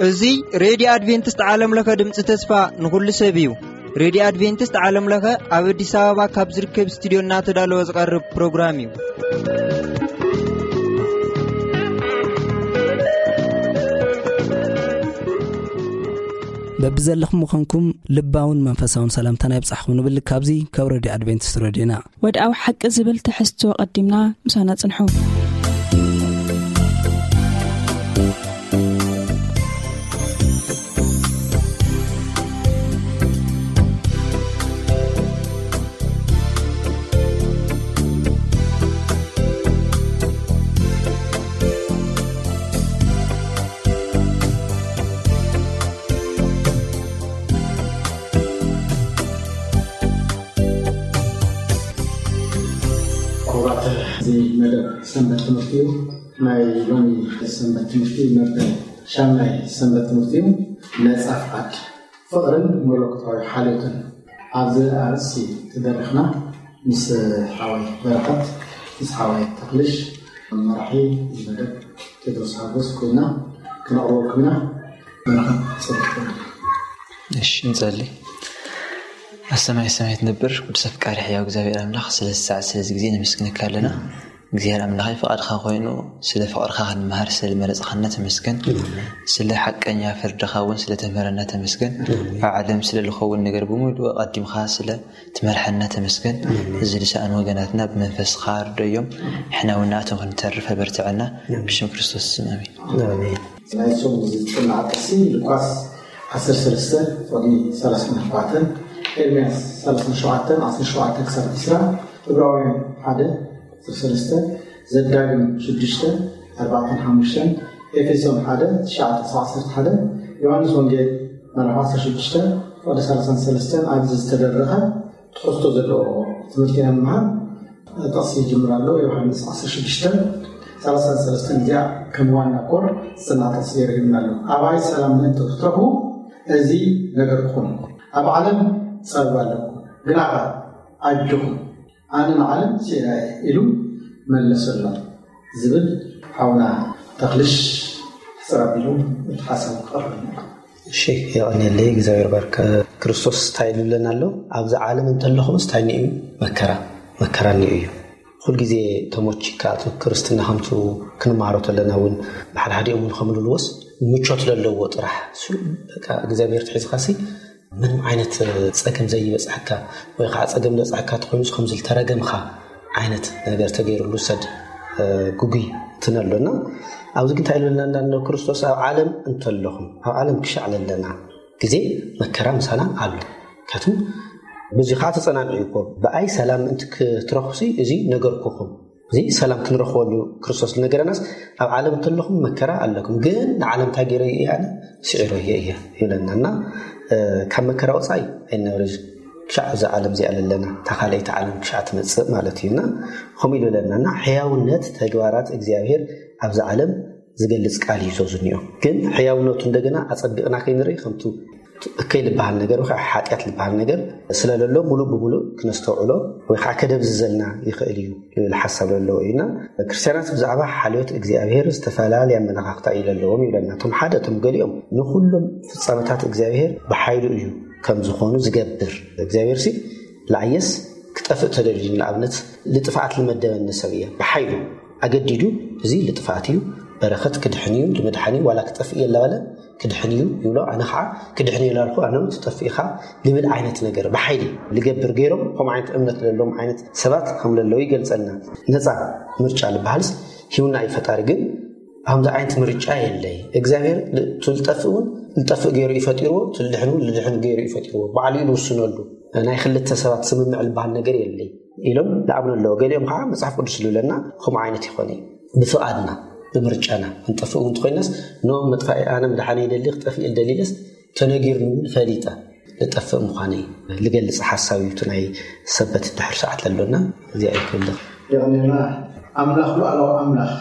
እዚ ሬድዮ ኣድቬንቲስት ዓለም ለኸ ድምፂ ተስፋ ንኹሉ ሰብ እዩ። ሬድዮ ኣድቬንቲስት ዓለም ለኸ ኣብ ኣዲስ ኣበባ ካብ ዝርከብ ስቱዲዮ እናተዳለወ ዝቐርብ ፕሮግራም እዩ። በብዘለኹም ምዃንኩም ልባውን መንፈሳውን ሰላምታና ይብጻሕኩም ንብል። ካብዚ ካብ ሬድዮ ኣድቬንቲስት ሬድዮና። ወድኣዊ ሓቂ ዝብል ትሕዝቶ ቀዲምና ምሳና ጽንሑ። ክቡራት፣ እዚ መደብ ሰንበት ትምህርቲ እዩ። ናይ ሎሚ ሰንበት ትምህርቲ መበል ሻምናይ ሰንበት ትምህርቲ እዩ። ነጻ ፍቓድ፣ ፍቕርን መለኮታዊ ሓልዮትን። ኣብዚ ኣርእስቲ ተደሪኽና ምስ ሓወይ በረኸት፣ ምስ ሓወይ ተኽልሽ፣ መራሒ መደብ ቴድሮስ ሓጎስ ኮይና ክነቕርበልኩም ኢና። በረኸት፣ ጸሎት። እሺ፣ ንጸሊ። ኣብ ሰማይ ሰማይ ትነብር ቅዱስ ኣፍቃሪ ሕያው እግዚኣብሔር ኣምላኽ፣ ስለዚ ሰዓት፣ ስለዚ ግዜ ነመስግነካ ኣለና። እግዚኣብሔር ኣምላኸይ፣ ፍቓድኻ ኮይኑ ስለ ፍቕርኻ ክንመሃር ስለ መረጽኻና ተመስገን። ስለ ሓቀኛ ፍርድኻ እውን ስለ ተምህረና ተመስገን። ኣብ ዓለም ስለ ዝኸውን ነገር ብምሉእ ኣቐዲምኻ ስለ ትመርሐና ተመስገን። እዚ ዝሰኣኑ ወገናትና ብመንፈስኻ ርደዮም፣ ንሕና እውን ንኣቶም ክንተርፍ ኣበርትዐና። ብሽም ክርስቶስ ስም ኣሜን። ኣሜን። ናይ ሶም ዝጽናዕ ጥቕሲ ሉቃስ ዓሰርተ ሰለስተ ቁጽሪ ሰላሳ ኣርባዕተ፣ ኤርምያስ ሰላሳ ሸውዓተ ዓሰርተ ሸውዓተ ክሳብ ዕስራ፣ ዕብራውያን ሓደ ዓሰርተ ሰለስተ፣ ዘዳግም ሽዱሽተ ኣርባዕተን ሓሙሽተን፣ ኤፌሶን ሓደ ትሽዓተ ክሳብ ዓሰርተ ሓደ፣ ዮሃንስ ወንጌል ምዕራፍ ዓሰርተ ሽዱሽተ ቁጽሪ ሰላሳን ሰለስተን ኣብዚ ዝተደረኸ ትሕዝቶ ዘለዎ ትምህርቲ ኢና ንምሃር። ጥቕሲ ይጅምር ኣሎ። ዮሃንስ ዓሰርተ ሽዱሽተ ሰላሳን ሰለስተን እዚኣ ከም ዋና ኮር ዝጽናዕ ጥቕሲ ገይሩ ሂብና ኣሎ። ኣባይ ሰላም ምእንቲ ክትረኽቡ እዚ ነገርኩኹም። ኣብ ዓለም ጸበባ ኣለኩም፣ ግና ኣጆኹም፣ ኣነ ንዓለም ስዒረ እየ ኢሉ መለሰሎም ዝብል ሓውና ተኽልሽ ሕጽር ኣቢሉ እቲ ሓሳብ ክቐርብ። እሺ፣ የቐንየለይ፣ እግዚኣብሔር ባርክ። ክርስቶስ እንታይ ይብለና ኣሎ? ኣብዚ ዓለም እንተለኹምስ እንታይ እኒኦ እዩ? መከራ፣ መከራ እኒኦ እዩ። ኩል ግዜ ተሞቺካ፣ እቲ ክርስትና ከምቱ ክንመሃሮ ተለና እውን፣ ብሓድሓዲኦም እውን ከምልልዎስ፣ ምቾት ለለዎ ጥራሕ። እሱ በቃ እግዚኣብሔር ትሒዝካሲ፣ ምንም ዓይነት ጸገም ዘይበጽሐካ፣ ወይ ከዓ ጸገም ዝበጽሐካ ተኾይኑስ ከምዚ ዝተረገምካ ዓይነት ነገር ተገይሩሉ ሰድ፣ እ፣ ጉጉይ ትነሎና። ኣብዚ ግን እንታይ ኢሉ ኣለና? እንዳ ክርስቶስ ኣብ ዓለም እንተለኹም፣ ኣብ ዓለም ክሻዕ ለለና ግዜ መከራ ምሳና ኣሎ። ምክንያቱም በዚ ከዓ ተጸናንዑ እኮ፣ ብኣይ ሰላም ምእንቲ ክትረኽቡሲ እዚ ነገርኩኹም። እዚ ሰላም ክንረኽበሉ ክርስቶስ ዝነገረናስ፣ ኣብ ዓለም እንተለኹም መከራ ኣለኩም፣ ግን ንዓለም እንታይ ገይረ እየ ኣነ? ስዒረ እየ እየ ይብለና። እና፣ እ፣ ካብ መከራ ወጻኢ ኣይንነብር። ክሻዕ እዛ ዓለም እዚኣ ለለና፣ እታ ካልኣይቲ ዓለም ክሻዕ ትመጽእ ማለት እዩ። እና ከምኡ ኢሉ ይብለና። እና ሕያውነት ተግባራት እግዚኣብሔር ኣብዚ ዓለም ዝገልጽ ቃል እዩ ዞ ዝኒኦ። ግን ሕያውነቱ እንደገና ኣጸቢቕና ከይንርኢ፣ ከምቱ እከይ ዝበሃል ነገር ወይ ከዓ ሓጢኣት ዝበሃል ነገር ስለለሎ፣ ሙሉእ ብሙሉእ ክነስተውዕሎ ወይ ከዓ ከደብዝዘልና ይኽእል እዩ ዝብል ሓሳብ ዘለዎ እዩ። እና ክርስትያናት ብዛዕባ ሓልዮት እግዚኣብሔር ዝተፈላለየ ኣመለኻኽታ እዩ ዘለዎም ይብለና። እቶም ሓደ፣ እቶም ገሊኦም ንኹሎም ፍጻመታት እግዚኣብሔር ብሓይሉ እዩ ከም ዝኾኑ ዝገብር። እግዚኣብሔር ሲ ለኣየስ ክጠፍእ ተደልዩ፣ ንኣብነት ልጥፍኣት ልመደበኒ ሰብ እየ ብሓይሉ ኣገዲዱ፣ እዚ ልጥፍኣት እዩ፣ በረኸት ክድሕን እዩ፣ ልምድሓን እዩ፣ ዋላ ክጠፍእ እየ እናበለ ክድሕን እዩ ይብሎ። ኣነ ከዓ ክድሕን እየ ላልኩ፣ ኣነ እውን ትጠፍእ ኢኻ ልብል ዓይነት ነገር ብሓይሊ ልገብር ገይሮም፣ ከምኡ ዓይነት እምነት ለለዎም ዓይነት ሰባት ከም ለለዉ ይገልጸልና። ነፃ ምርጫ ልበሃልስ ሂውና እዩ ፈጣሪ፣ ግን ከምዚ ዓይነት ምርጫ የለይ። እግዚኣብሔር ል-፣ እቲ ልጠፍእ እውን ልጠፍእ ገይሩ እዩ ፈጢርዎ፣ እቲ ልድሕን እውን ልድሕን ገይሩ እዩ ፈጢርዎ። ባዕሉ እዩ ልውስነሉ። ናይ ክልተ ሰባት ስምምዕ ልበሃል ነገር የለይ ኢሎም ልኣምኑ ኣለዉ። ገሊኦም ከዓ መጽሓፍ ቅዱስ ዝብለና ከምኡ ዓይነት ይኾነ እዩ። ብፍቓድና፣ ብምርጫና ክንጠፍእ እውን እንተኾይናስ፣ ኖ መጥፋኢ፣ ኣነ ምድሓን ይደሊ፣ ክጠፍእ ይደሊ ኢለስ ተነጊርኒ እውን ፈሊጠ ልጠፍእ ምዃነይ ልገልጽ ሓሳብ እዩ። እቲ ናይ ሰበት ድሕሪ ሰዓት ዘሎና እዚኣ እዩ ክብልኽ። የቐንየልና። ኣምላኽ፣ ሉዓላዊ ኣምላኽ፣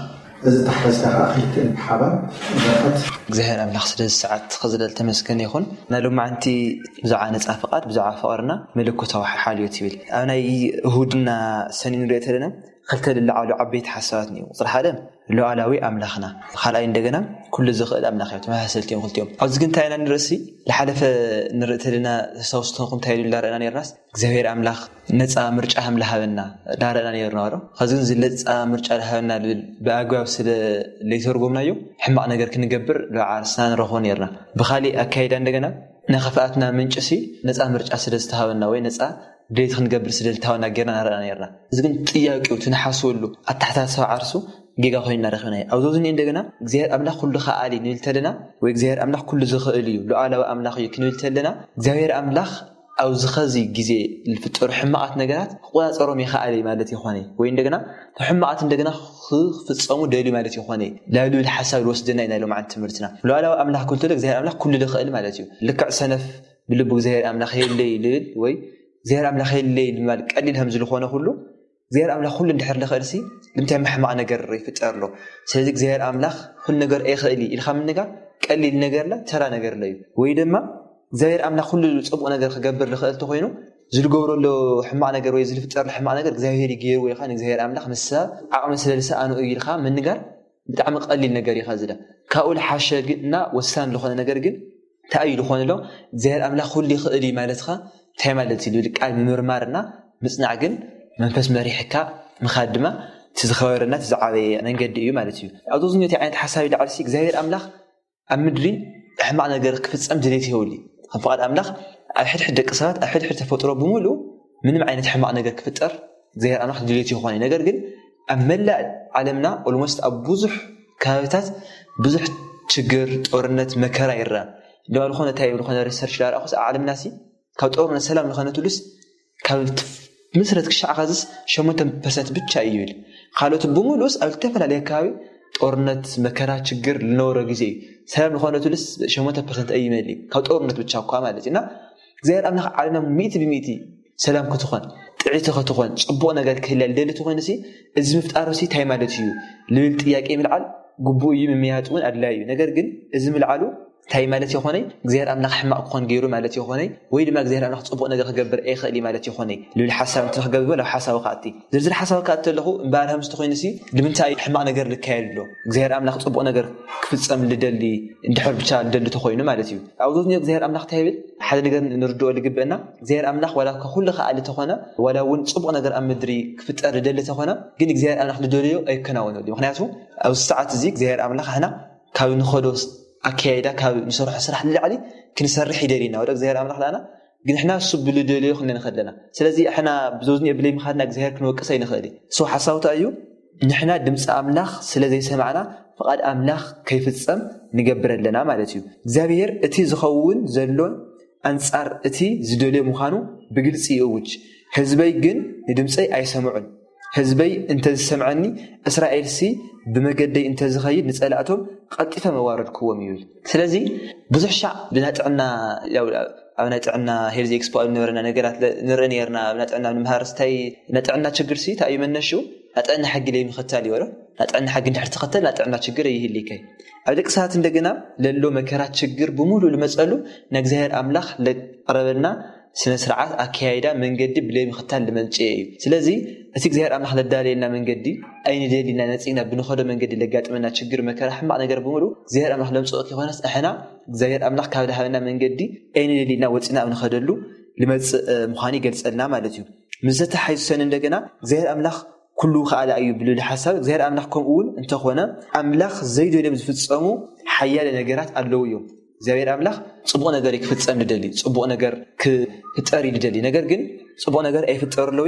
እዚ ተሓዝካ ከዓ ክልቲኤን ብሓባር በረኸት። እግዚኣብሔር ኣምላኽ ስለዚ ሰዓት ክዝለል ተመስገን ይኹን። ናይ ሎማዓንቲ ብዛዕባ ነፃ ፍቓድ፣ ብዛዕባ ፍቕርና መለኮታዊ ሓልዮት ይብል። ኣብ ናይ እሁድና ሰኒ ንሪኦ ተለና ክልተ ልለዓሉ ዓበይቲ ሓሳባት እኒኡ። ቁፅሪ ሓደ ሉዓላዊ ኣምላኽና፣ ካልኣይ እንደገና ኩሉ ዝኽእል ኣምላኽ እዮም። ተመሳሰልቲ እዮም ክልቲኦም። ኣብዚ ግን እንታይ ኢና ንርእሲ? ዝሓለፈ ንርኢ ተለና ተስታውሱ ተኾንኩም እንታይ ኢሉ እንዳረእና ነርናስ እግዚኣብሔር ኣምላኽ ነፃ ምርጫ ከም ዝሃበና እንዳረእና ነርና ዶ? ከዚ ግን እዚ ነፃ ምርጫ ዝሃበና ዝብል ብኣግባብ ስለ ዘይተርጎምናዮ ሕማቕ ነገር ክንገብር ልዓርስና ንረኽቦ ነርና። ብኻሊእ ኣካይዳ እንደገና ናይ ክፍኣትና ምንጭ ሲ ነፃ ምርጫ ስለ ዝተሃበና ወይ ነፃ ድሌት ክንገብር ስለ ዝተሃበና ጌርና ንረእና ነርና። እዚ ግን ጥያቄው ትንሓስበሉ ኣተሓሳስባ ዓርሱ ጌጋ ኮይንና ረኺብናዮ። ኣብዚ ዝኒኦ እንደገና እግዚኣብሔር ኣምላኽ ኩሉ ከኣሊ ንብል ተለና ወይ እግዚኣብሔር ኣምላኽ ኩሉ ዝኽእል እዩ፣ ሉዓላዊ ኣምላኽ እዩ ክንብል ተለና እግዚኣብሔር ኣምላኽ ኣብዚ ኸዚ ግዜ ዝፍጠሩ ሕማቓት ነገራት ክቆፃፀሮም ይኸኣል እዩ ማለት ይኾነ ወይ እንደገና ሕማቓት እንደገና ክፍፀሙ ደልዩ ማለት ይኾነ። ናብ ልብል ሓሳብ ዝወስደና እዩ ናይ ሎማዓንቲ ትምህርትና። ሉዓላዊ ኣምላኽ ክብል ተሎ እግዚኣብሔር ኣምላኽ ኩሉ ዝኽእል ማለት እዩ። ልክዕ ሰነፍ ብልቡ እግዚኣብሔር ኣምላኽ የለይ ልብል ወይ እግዚኣብሔር ኣምላኽ የለይ ንምባል ቀሊል ከም ዝልኾነ ኩሉ እግዚኣብሔር ኣምላኽ ኩሉ እንድሕር ልኽእል ሲ ልምንታይ ሕማቕ ነገር ይፍጠር ኣሎ? ስለዚ እግዚኣብሔር ኣምላኽ ኩሉ ነገር ኣይኽእል እዩ ኢልካ ምንጋር ቀሊል ነገር ላ ተራ ነገር ለ እዩ። ወይ ድማ እግዚኣብሔር ኣምላኽ ኩሉ ፅቡቕ ነገር ክገብር ልኽእል ተኮይኑ ዝልገብሮ ኣሎ ሕማቕ ነገር ወይ ዝልፍጠር ሕማቕ ነገር እግዚኣብሔር ይገይሩ ወይ ከዓ ንእግዚኣብሔር ኣምላኽ ምስ ሰብ ዓቕሚ ስለ ዝሰኣኑ እዩ ኢልካ ምንጋር ብጣዕሚ ቀሊል ነገር እዩ። ከዚ ካብኡ ልሓሸ ግና ወሳኒ ዝኾነ ነገር ግን እንታይ እዩ ዝኾነ ኣሎ እግዚኣብሔር ኣምላኽ ኩሉ ይኽእል እዩ ማለትኻ እንታይ ማለት እዩ ዝብል ቃል ምምርማርና ምፅናዕ ግን መንፈስ መሪሕካ ምኻድ ድማ እቲ ዝኸበረና እቲ ዝዓበየ መንገዲ እዩ ማለት እዩ። ኣብዚ ዝኒኦ ዓይነት ሓሳብ ይለዓል ሲ እግዚኣብሔር ኣምላኽ ኣብ ምድሪ ሕማቕ ነገር ክፍፀም ድሌት የብሉ። ከም ፍቓድ ኣምላኽ ኣብ ሕድሕድ ደቂ ሰባት ኣብ ሕድሕድ ተፈጥሮ ብምሉእ ምንም ዓይነት ሕማቕ ነገር ክፍጠር እግዚኣብሔር ኣምላኽ ድሌት ይኾነ። ነገር ግን ኣብ መላእ ዓለምና ኦልሞስት ኣብ ብዙሕ ከባቢታት ብዙሕ ችግር፣ ጦርነት፣ መከራ ይረአ። ድማ ዝኾነ እንታይ ዝኾነ ሪሰርች ዳረኣኹስ ኣብ ዓለምና ሲ ካብ ጦርነት ሰላም ዝኾነትሉስ ካብ ምስረት ክሻዕ ኸዝስ ሸሞንተ ፐርሰንት ብቻ እዩ ይብል። ካልኦት ብምሉእስ ኣብ ዝተፈላለየ ከባቢ ጦርነት፣ መከራ፣ ችግር ልነበሮ ግዜ እዩ። ሰላም ዝኾነትሉስ ሸሞንተ ፐርሰንት ኣይመልእ ካብ ጦርነት ብቻ እኳ ማለት እዩ። እና እግዚኣብሔር ኣምላኽ ዓለምና ሚእቲ ብሚእቲ ሰላም ክትኾን ጥዕቲ ክትኾን ፅቡቕ ነገር ክህልያ ልደሊ ተኾይኑ ሲ እዚ ምፍጣሩ ሲ እንታይ ማለት እዩ ልብል ጥያቄ ምልዓል ግቡእ እዩ፣ ምምያጥ እውን ኣድላይ እዩ። ነገር ግን እዚ ምልዓሉ እንታይ ማለት ይኾነይ እግዚኣብሔር ኣምላኽ ሕማቕ ክኾን ገይሩ ማለት ይኾነይ ወይ ድማ እግዚኣብሔር ኣምላኽ ፅቡቕ ነገር ክገብር ኣይኽእል እዩ ማለት ይኾነይ ልብል ሓሳብ እንተ ክገብር ናብ ሓሳቡ ክኣቲ ዝርዝር ሓሳቡ ክኣቲ ኣለኹ እምበኣር ከምዚ ተኾይኑ ሲ ንምንታይ ሕማቕ ነገር ልካየድ ኣሎ እግዚኣብሔር ኣምላኽ ፅቡቕ ነገር ክፍፀም ልደሊ እንድሕር ብቻ ልደሊ ተኾይኑ ማለት እዩ። ኣብ ዞዝኒ እግዚኣብሔር ኣምላኽ እንታይ ይብል ሓደ ነገር ንርድኦ ልግበአና እግዚኣብሔር ኣምላኽ ዋላ እኳ ኩሉ ከኣሊ ተኾነ ዋላ እውን ፅቡቕ ነገር ኣብ ምድሪ ክፍጠር ልደሊ ተኾነ ግን እግዚኣብሔር ኣምላኽ ልደልዮ ኣይከናወነሉ እዩ። ምክንያቱ ኣብዚ ሰዓት እዚ እግዚኣብሔር ኣምላኽ ኣሕና ካብ ንኸዶ ኣካያይዳ ካብ ንሰርሖ ስራሕ ንላዕሊ ክንሰርሕ ይደልየና ወደ እግዚኣብሔር ኣምላኽ ዳና ግን ሕና እሱ ብልደልዮ ክንንኸድ ኣለና። ስለዚ ሕና ብዞዝኒ ብለይ ምኻድና እግዚኣብሔር ክንወቅሰ ይንኽእል እዩ። ሶ ሓሳውታ እዩ ንሕና ድምፂ ኣምላኽ ስለ ዘይሰማዕና ፍቓድ ኣምላኽ ከይፍፀም ንገብር ኣለና ማለት እዩ። እግዚኣብሔር እቲ ዝኸውን ዘሎን ኣንጻር እቲ ዝደልዮ ምዃኑ ብግልፂ ይእውጅ። ህዝበይ ግን ንድምፀይ ኣይሰምዑን። ህዝበይ እንተዝሰምዐኒ እስራኤልሲ ብመገደይ እንተዝኸይድ ንጸላእቶም ቀልጢፈ መዋረድክዎም ይብል። ስለዚ ብዙሕ ሻዕ ብናይ ጥዕና ኣብ ናይ ጥዕና ሄልዚ ኤክስፖ ኣብ ነበረና ነገራት ንርኢ ነርና ኣብ ናይ ጥዕና ንምሃር ስታይ ናይ ጥዕና ችግር ሲ እንታይ እዩ መነሹ ናይ ጥዕና ሕጊ ለይ ምኽታል ይበሎ ናይ ጥዕና ሕጊ እንድሕር ትኸተል ናይ ጥዕና ችግር ይህልከይ ኣብ ደቂ ሰባት እንደገና ለሎ መከራ ችግር ብምሉእ ልመጸሉ ንእግዚኣብሔር ኣምላኽ ለቅረበልና ስነ ስርዓት ኣካያይዳ መንገዲ ብለይ ምኽታል ልመንጭየ እዩ። ስለዚ እቲ እግዚኣብሔር ኣምላኽ ለዳለየልና መንገዲ ኣይንደሊና ነጺግና ብንኸዶ መንገዲ ለጋጥመና ችግር መከራ ሕማቕ ነገር ብምሉ እግዚኣብሔር ኣምላኽ ለምጽኦ ከይኮነስ ኣሕና እግዚኣብሔር ኣምላኽ ካብ ዝሃበና መንገዲ ኣይንደሊና ወጺና ኣብ ንኸደሉ ልመጽእ ምዃኑ ይገልጸልና ማለት እዩ። ምስ ዘተሓይዙ ሰኒ እንደገና እግዚኣብሔር ኣምላኽ ኩሉ ከኣላ እዩ ብልሉ ሓሳብ እግዚኣብሔር ኣምላኽ ከምኡ እውን እንተኾነ ኣምላኽ ዘይደልዮም ዝፍጸሙ ሓያለ ነገራት ኣለዉ እዮም። እግዚኣብሔር ኣምላኽ ጽቡቕ ነገር እዩ ክፍጸም ልደሊ ጽቡቕ ነገር ክፍጠር እዩ ልደሊ ነገር ግን ጽቡቕ ነገር ኣይፍጠሩ ኣለዉ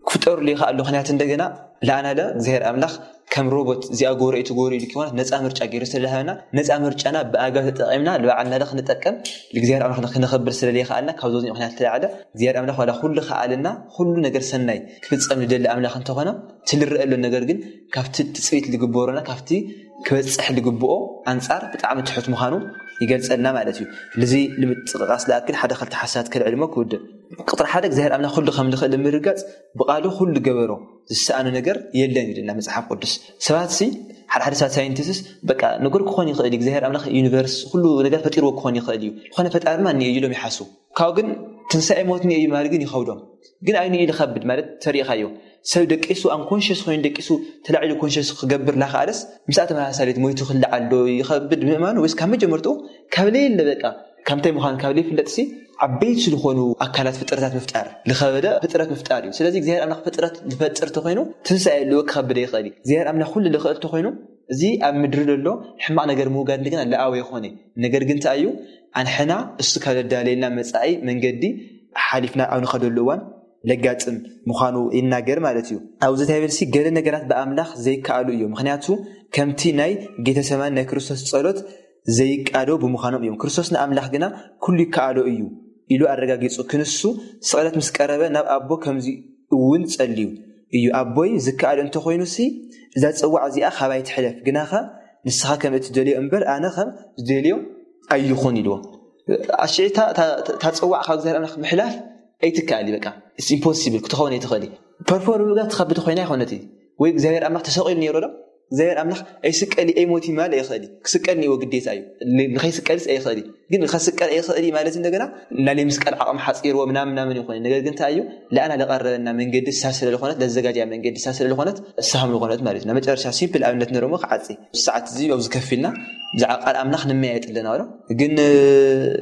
ክፍጠሩ ይኸኣሉ ምክንያት እንደገና ለኣናለ እግዚኣብሔር ኣምላኽ ከም ሮቦት እዚኣ ጎሮ እቲ ጎሮ ኢሉ ኪኾነት ነፃ ምርጫ ገይሩ ስለዝሃበና ነፃ ምርጫና ብኣግባብ ተጠቂምና ንባዕልና ክንጠቀም እግዚኣብሔር ኣምላኽ ክንኸብር ስለዘይኸኣልና ካብ ዞዚ ምክንያት ተላዕለ እግዚኣብሔር ኣምላኽ ዋላ ኩሉ ከኣልና ኩሉ ነገር ሰናይ ክፍፀም ዝደሊ ኣምላኽ እንተኾነ እቲ ልረአ ኣሎ ነገር ግን ካብቲ ትፅቢት ዝግበሮና ካብቲ ክበፅሕ ዝግብኦ ኣንፃር ብጣዕሚ ትሑት ምዃኑ ይገልጸልና ማለት እዩ። ልዚ ንምጥቕቓስ ዝኣክል ሓደ ክልተ ሓሳባት ከልዕልሞ ክውድእ። ቁጥሪ ሓደ እግዚኣብሔር ኣምላኽ ኩሉ ከም ዝኽእል ንምርጋጽ ብቓሉ ኩሉ ገበሮ ዝሰኣኖ ነገር የለን ይልና መጽሓፍ ቅዱስ። ሰባት ሲ ሓደ ሓደ ሰባት ሳይንቲስስ በቃ ነገር ክኾን ይኽእል እዩ እግዚኣብሔር ኣምላኽ ዩኒቨርስ ኩሉ ነገር ፈጢርዎ ክኾን ይኽእል እዩ ዝኾነ ፈጣርና እኒኦ ኢሎም ይሓስቡ። ካብኡ ግን ትንሳኤ ሞት እኒኦ እዩ ማለት ግን ይኸብዶም። ግን ኣይኑ ኢሉ ከብድ ማለት ተሪእኻዮ ሰብ ደቂሱ ኣንኮንሽስ ኮይኑ ደቂሱ ተላዒሉ ኮንሽስ ክገብር ላኸኣለስ ምስኣ ተመሳሳሌት ሞይቱ ክልዓል ዶ ይኸብድ ምእማኑ ወይስ ካብ መጀመርትኡ ካብ ለየለ በቃ ከምታይ ምዃኑ ካብ ለይፍለጥሲ ዓበይቲ ዝኾኑ ኣካላት ፍጥረታት ምፍጣር ዝኸበደ ፍጥረት ምፍጣር እዩ። ስለዚ እግዚኣብሔር ኣምላኽ ፍጥረት ዝፈጥር ተኮይኑ ትንሳኤ ኣለዎ ክኸብደ ይኽእል እዩ። እግዚኣብሔር ኣምላኽ ኩሉ ዝኽእል ተኮይኑ እዚ ኣብ ምድሪ ዘሎ ሕማቕ ነገር ምውጋድ እንደገና ለኣወ ይኾነ። ነገር ግን እንታይ እዩ ኣንሕና እሱ ካብ ዘዳለየልና መጻኢ መንገዲ ሓሊፍና ኣብ ንኸደሉ እዋን ለጋጥም ምዃኑ ይናገር ማለት እዩ። ኣብዚ ታይበልሲ ገለ ነገራት ብኣምላኽ ዘይከኣሉ እዩ። ምክንያቱ ከምቲ ናይ ጌተሰማኒ ናይ ክርስቶስ ጸሎት ዘይቃዶ ብምዃኖም እዮም። ክርስቶስ ንኣምላኽ ግና ኩሉ ይከኣሎ እዩ ኢሉ ኣረጋጊጹ። ክንሱ ስቕለት ምስ ቀረበ ናብ ኣቦ ከምዚ እውን ጸልዩ እዩ። ኣቦይ ዝከኣል እንተኾይኑሲ እዛ ጽዋዕ እዚኣ ካባይ ትሕለፍ፣ ግናኸ ንስኻ ከም እትደልዮ እምበር ኣነ ከም ዝደልዮ ኣይኹን ኢልዎ። ኣሽዒታ እታ ጽዋዕ ካብ እግዚኣብሔር ኣምላኽ ምሕላፍ ኣይትከኣል እዩ። በቃ ኢምፖሲብል ክትኸውን ኣይትኽእል እዩ። ፐርፎርም ምግባር ትኸብድ ኮይና ይኮነት እዩ። ወይ እግዚኣብሔር ኣምላኽ ተሰቂሉ ነይሮ ዶ እግዚኣብሔር ኣምላኽ ኣይስቀል ኣይሞት ይማል ኣይኽእል ክስቀል ንዎ ግዴታ እዩ። ንኸይስቀልስ ኣይኽእል ግን ንኸስቀል ኣይኽእል ማለት እንደገና ናለይ ምስቀል ዓቕም ሓፂርዎ ምናምን ምናምን ይኾነ። ነገር ግን እንታይ እዩ ለኣና ለቐረበና መንገዲ እሳ ስለ ዝኾነት ለዘጋጃ መንገዲ እሳ ስለ ዝኾነት እሳሃም ዝኾነት ማለት እዩ። መጨረሻ ሲምፕል ኣብነት ንረሞ ክዓፂ ሰዓት እዚ ኣብዚ ከፊልና ብዛዕባ ቃል ኣምላኽ ንመያየጥ ኣለና ዶ ግን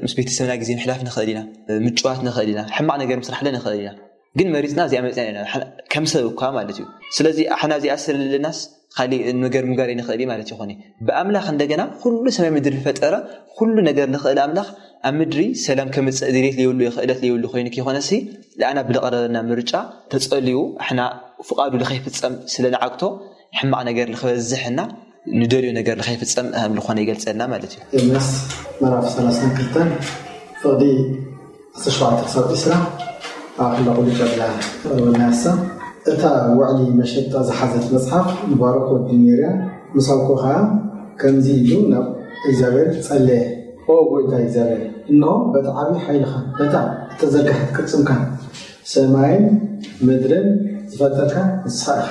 ምስ ቤተሰብና ግዜ ምሕላፍ ንኽእል ኢና፣ ምጭዋት ንኽእል ኢና፣ ሕማቕ ነገር ምስራሕ ንኽእል ኢና። ግን መሪፅና እዚኣ መፅና ኢና ከም ሰብ እኳ ማለት እዩ። ስለዚ ኣሕና እዚኣ ስለለናስ ካሊእ ነገር ምግባር ይንኽእል ማለት ይኾነ። ብኣምላኽ እንደገና ኩሉ ሰማይ ምድሪ ዝፈጠረ ኩሉ ነገር ንኽእል ኣምላኽ ኣብ ምድሪ ሰላም ከምፅእ ድሌት ለየብሉ ክእለት ለየብሉ ኮይኑ ከይኾነሲ ለኣና ብለቐረበና ምርጫ ተፀልዩ ኣሕና ፍቓዱ ለኸይፍፀም ስለ ንዓግቶ ሕማቕ ነገር ልኽበዝሕና ንደልዮ ነገር ልኸይፍፀም ከም ዝኾነ ይገልፀልና ማለት እዩ። ኤርምያስ ምዕራፍ ሰላሳን ክልተን ፍቕዲ ዓሰርተ ሸውዓተ ክሳብ ዕስራ ኣብ ክላ ቁልጭ ኣብላ ተቕርበልና ያሳ። እታ ውዕሊ መሸጣ ዝሓዘት መጽሓፍ ንባሮክ ወዲ ኔርያ ምስ ኣውኮ ኸኣ ከምዚ ኢሉ ናብ እግዚኣብሔር ጸለየ። ኦ ጐይታ እግዚኣብሔር፣ እንሆ በቲ ዓቢ ሓይልኻን በታ እተዘርግሐት ቅልጽምካን ሰማይን ምድርን ዝፈጠርካ ንስኻ ኢኻ።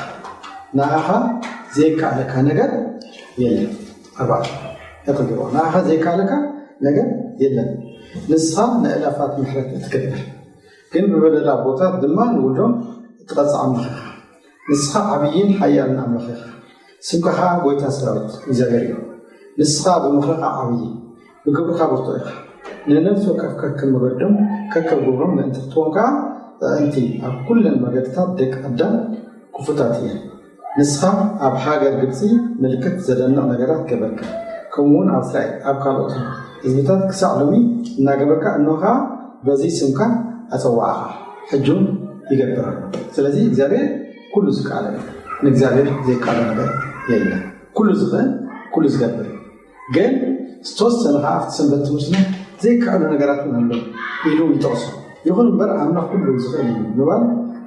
ንኣኻ ዘይከኣለካ ነገር የለን። ኣርባዕተ ያተግብሮ ንኣኻ ዘይከኣለካ ነገር የለን። ንስኻ ንእላፋት ምሕረት እትገብር ግን ብበደል ኣቦታት ድማ ንውልዶም እትቐጽዕ ኣምላኽ ኢኻ። ንስኻ ዓብይን ሓያልን ኣምላኽ ኢኻ። ስምካ ኸዓ ጐይታ ሰራዊት እግዚኣብሔር እዩ። ንስኻ ብምኽርኻ ዓብዪ፣ ብግብርኻ ብርቱዕ ኢኻ። ንነፍሲ ወከፍ ከከም መገዶም ከከም ግብሮም ምእንቲ ክትቦም ከኣ ጥዕምቲ ኣብ ኩለን መገድታት ደቂ ኣዳም ክፉታት እየን። ንስኻ ኣብ ሃገር ግብጺ ምልክት ዘደንቕ ነገራት ገበርካ፣ ከምኡ እውን ኣብ እስራኤል ኣብ ካልኦት ህዝብታት ክሳዕ ሎሚ እናገበርካ እነሆ ኸኣ በዚ ስምካ ኣጸዋዕኻ። ሕጂ እውን ይገብር ኣሎ። ስለዚ እግዚኣብሔር ኩሉ ዝከኣለ እዩ። ንእግዚኣብሔር ዘይከኣሎ ነገር የለን። ኩሉ ዝኽእል ኩሉ ዝገብር እዩ። ግን ዝተወሰነ ከዓ ኣብቲ ሰንበት ትምህርትና ዘይከኣሉ ነገራት እውን ኣለዉ ኢሉ ይጠቕሶ። ይኹን እምበር ኣምላኽ ኩሉ ዝኽእል እዩ ምባል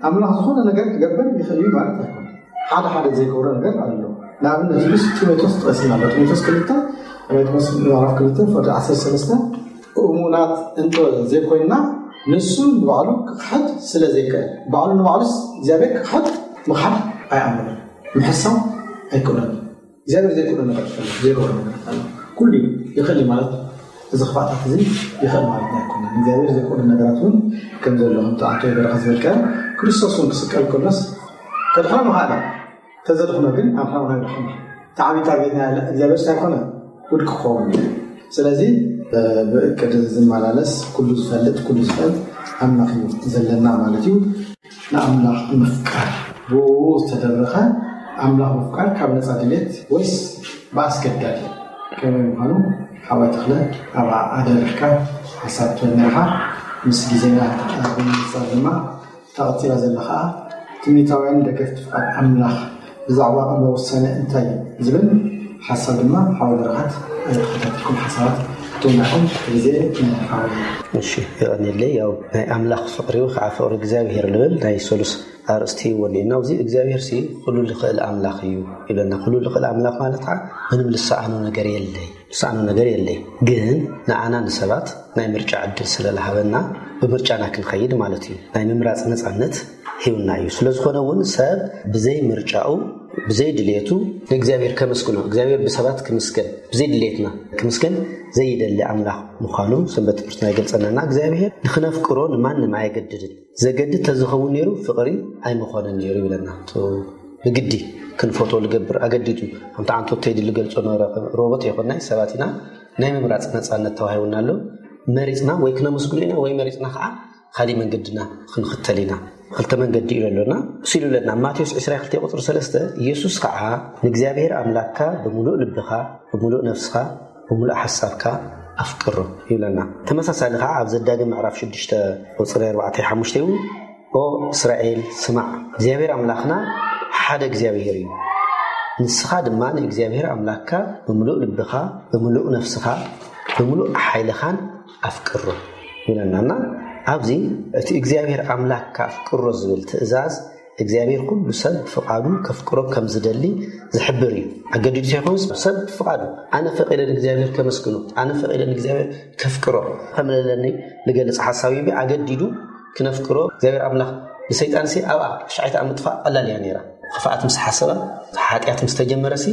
ኣምላኽ ዝኾነ ነገር ክገብር ይኽእል እዩ ማለት ኣይኮነ። ሓደ ሓደ ዘይገብሮ ነገር ኣሎ። ንኣብነት ኢሉስ ጢሞቴዎስ ጠቂስና ኣሎ። ጢሞቴዎስ ክልተ ጢሞቴዎስ ምዕራፍ ክልተ ፍቕዲ ዓሰርተ ሰለስተ እሙናት እንተ ዘይኮይንና ንሱ ንባዕሉ ክኽሕድ ስለ ዘይክእል ባዕሉ ንባዕሉስ እግዚኣብሔር ክኽሕድ ምኽሓድ ኣይኣምንን። ምሕሳው ኣይክእሎን። እግዚኣብሔር ዘይክእሎ ነገር የለን። ዘይገብሮ ነገር ኣሎ። ኩሉ ይኽእል እዩ ማለት እዚ ክፋእታት እዚ ይኽእል ማለት ኣይኮነን። እግዚኣብሔር ዘይክእሎ ነገራት እውን ከም ዘሎ ከምቲ ኣንቶኒ በረኻ ዝበልካዮ ክርስቶስ እውን ክስቀል ከሎስ ከድሕኖ ምኽኣለ ተዘድሕኖ ግን ኣንሕና እውን ኣይድሓና። እቲ ዓብዪ ታርጌትና ያለ እግዚኣብሔር ሳይኮነ ውድቂ ክኸውን እዩ። ስለዚ ብእቅድ ዝመላለስ ኩሉ ዝፈልጥ ኩሉ ዝኽእል ኣምላኽ እዩ ዘለና ማለት እዩ። ንኣምላኽ ምፍቃር ብኡ ዝተደረኸ ኣምላኽ ምፍቃር ካብ ነፃ ድሌት ወይስ ብኣስገዳድ ከመይ ምዃኑ ሓወይ ተኽለ ኣብ ኣደሪኽካ ሓሳብ ትበልናኻ ምስ ግዜና ብምንፃር ድማ እታ ቀፂላ ዘላ ከዓ ትምኒታውያን ደገፍቲ ፍቓድ ኣምላኽ ብዛዕባ ቅድመ ውሳነ እንታይ እዩ ዝብል ሓሳብ ድማ ሓወይ በረኸት ተኸታተልኩም ሓሳባት ክትውናኹም ግዜ ሓወይ። እሺ፣ የቐንየለይ። ያው ናይ ኣምላኽ ፍቕሪ ከዓ ፍቕሪ እግዚኣብሔር ልብል ናይ ሰሉስ ኣርእስቲ ወኒእና ኣብዚ እግዚኣብሔር ሲ ኩሉ ልኽእል ኣምላኽ እዩ ይብለና። ኩሉ ልኽእል ኣምላኽ ማለት ከዓ ምንም ልሰኣኖ ነገር የለይ። ዝሰኣኖ ነገር የለይ። ግን ንኣና ንሰባት ናይ ምርጫ ዕድል ስለዝሃበና፣ ብምርጫና ክንኸይድ ማለት እዩ። ናይ ምምራፅ ነፃነት ሂውና እዩ። ስለዝኾነ እውን ሰብ ብዘይ ምርጫኡ፣ ብዘይ ድልየቱ ንእግዚኣብሔር ከመስግኖ፣ እግዚኣብሔር ብሰባት ክምስገን፣ ብዘይ ድልየትና ክምስገን ዘይደሊ ኣምላኽ ምዃኑ ሰንበት ትምህርትና ይገልጸልና። እግዚኣብሔር ንኽነፍቅሮ ንማንም ኣየገድድን። ዘገድድ ተዝኸውን ነይሩ ፍቕሪ ኣይምኾነን ነይሩ ይብለና። ብግዲ ክንፈቶ ልገብር ኣገዲዱ። ከምቲ ዓንቶት ቴዲ ልገልጾ ነበረ፣ ሮቦት ኣይኮናይ፣ ሰባት ኢና። ናይ ምምራጽ ነጻነት ተዋሂቡና ኣሎ። መሪጽና ወይ ክነመስግኖ ኢና ወይ መሪጽና ከዓ ካሊእ መንገድና ክንኽተል ኢና። ክልተ መንገዲ እዩ ዘሎና። እሱ ኢሉ ብለና። ማቴዎስ ዕስራ ክልተ ቁጽሪ ሰለስተ፣ ኢየሱስ ከዓ ንእግዚኣብሔር ኣምላክካ ብምሉእ ልብኻ፣ ብምሉእ ነፍስኻ፣ ብምሉእ ሓሳብካ ኣፍቅሮ ይብለና። ተመሳሳሊ ከዓ ኣብ ዘዳግም ምዕራፍ ሽዱሽተ ቁጽሪ ኣርባዕተ ሓሙሽተ እውን፣ ኦ እስራኤል ስማዕ፣ እግዚኣብሔር ኣምላኽና ሓደ እግዚኣብሔር እዩ። ንስኻ ድማ ንእግዚኣብሔር ኣምላክካ ብምሉእ ልብኻ፣ ብምሉእ ነፍስኻ፣ ብምሉእ ሓይልኻን ኣፍቅሮ ይብለና። እና ኣብዚ እቲ እግዚኣብሔር ኣምላክካ ኣፍቅሮ ዝብል ትእዛዝ እግዚኣብሔር ኩሉ ሰብ ብፍቓዱ ከፍቅሮ ከም ዝደሊ ዝሕብር እዩ። ኣገዲዱ ዘይኮነስ ሰብ ብፍቓዱ፣ ኣነ ፈቒደ ንእግዚኣብሔር ከመስግኖ፣ ኣነ ፈቒደ ንእግዚኣብሔር ከፍቅሮ ከም ዘለኒ ዝገልጽ ሓሳብ እዩ። ኣገዲዱ ክነፍቅሮ እግዚኣብሔር ኣምላኽ ንሰይጣንሲ ኣብኣ ሻዒት ኣብ ምጥፋእ ቀላል እያ ነይራ። ክፍኣት ምስ ሓሰባ፣ ሓጢኣት ምስ ተጀመረሲ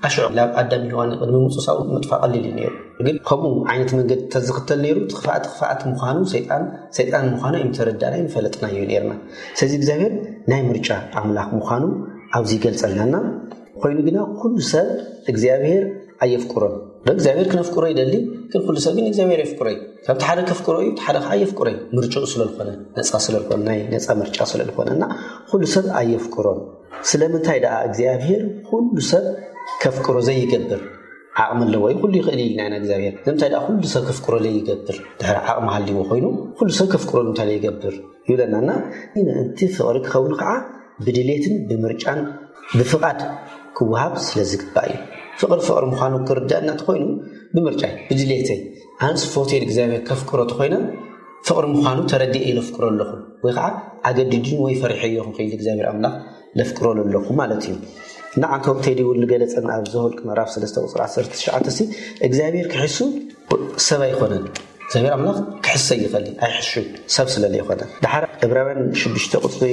ኣሽዑ ናብ ኣዳም ሔዋን ቅድሚ ምውፁሳው ምጥፋእ ቀሊል እዩ ነይሩ። ግን ከምኡ ዓይነት መንገዲ ተዝኽተል ነይሩ፣ እቲ ክፍኣት ክፍኣት ምዃኑ፣ ሰይጣን ሰይጣን ምዃኑ ኣይምተረዳእናይ፣ ምፈለጥናዮ ነይርና። ስለዚ እግዚኣብሔር ናይ ምርጫ ኣምላኽ ምዃኑ ኣብዚ ይገልጸልናና። ኮይኑ ግና ኩሉ ሰብ እግዚኣብሔር ኣየፍቅሮን። እግዚኣብሔር ክነፍቅሮ ይደሊ፣ ግን ኩሉ ሰብ ግን እግዚኣብሔር የፍቅሮ እዩ። ከምቲ ሓደ ከፍቅሮ እዩ፣ እቲ ሓደ ከዓ የፍቅሮ እዩ። ምርጫኡ ስለልኾነ፣ ነፃ ስለልኾነ፣ ናይ ነፃ ምርጫ ስለልኾነ እና ኩሉ ሰብ ኣየፍቅሮን። ስለምንታይ ደኣ እግዚኣብሔር ኩሉ ሰብ ከፍቅሮ ዘይገብር? ዓቕሚ ኣለዎ እዩ፣ ኩሉ ይኽእል እዩ ኢልና ኢና እግዚኣብሔር። ንምንታይ ደኣ ኩሉ ሰብ ከፍቅሮ ዘይገብር? ድሕሪ ዓቕሚ ሃልይዎ ኮይኑ ኩሉ ሰብ ከፍቅሮ ንምንታይ ዘይገብር? ይብለና እና እቲ ፍቕሪ ክኸውን ከዓ ብድሌትን ብምርጫን ብፍቓድ ክወሃብ ስለ ዝግባእ እዩ። ፍቕሪ ፍቕሪ ምዃኑ ክርዳእና እንተኾይኑ ብምርጫይ፣ ብድሌተይ፣ ኣነስ ፈትየ እግዚኣብሔር ከፍቅሮ እንተኾይነ ፍቕሪ ምዃኑ ተረዲኤ ኢለ ኣፍቅሮ ኣለኹ፣ ወይ ከዓ ኣገዲዱን ወይ ፈሪሐዮ ክኽእል እግዚኣብሔር ኣምላኽ ለፍቅሮ ኣለኹ ማለት እዩ። እና ዓንቶም ቴዲ እውን ልገለጸን ኣብ ዘኍልቁ ምዕራፍ ሰለስተ ቁጽሪ ዓሰርተ ትሽዓተ ሲ እግዚኣብሔር ክሕሱ ሰብ ኣይኮነን። እግዚኣብሔር ኣምላኽ ክሕሰ ይኽእል ኣይሕሹ ሰብ ስለ ዘይኮነ። ድሓር ዕብራውያን ሽዱሽተ ቁጽሪ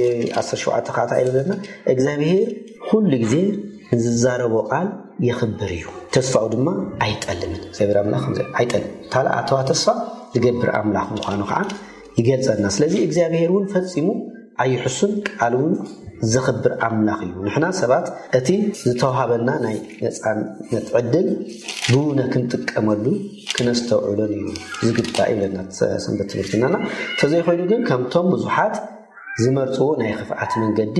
ዓሰርተ ሸውዓተ ከዓ እንታይ ይብለና? እግዚኣብሔር ኩሉ ግዜ ንዝዛረቦ ቃል የኽብር እዩ፣ ተስፋኡ ድማ ኣይጠልምን። እግዚኣብሔር ኣምላኽ ከምዚ ኣይጠልምን። ታላ ኣተዋ ተስፋ ዝገብር ኣምላኽ ምዃኑ ከዓ ይገልጸልና። ስለዚ እግዚኣብሔር እውን ፈጺሙ ኣይሕሱን፣ ቃል እውን ዘኽብር ኣምላኽ እዩ። ንሕና ሰባት እቲ ዝተዋሃበና ናይ ነጻነት ዕድል ብውነ ክንጥቀመሉ ክነስተውዕሎን እዩ ዝግባእ ይብለና ሰንበት ትምህርትናና። ተዘይኮይኑ ግን ከምቶም ብዙሓት ዝመርጽዎ ናይ ክፍኣት መንገዲ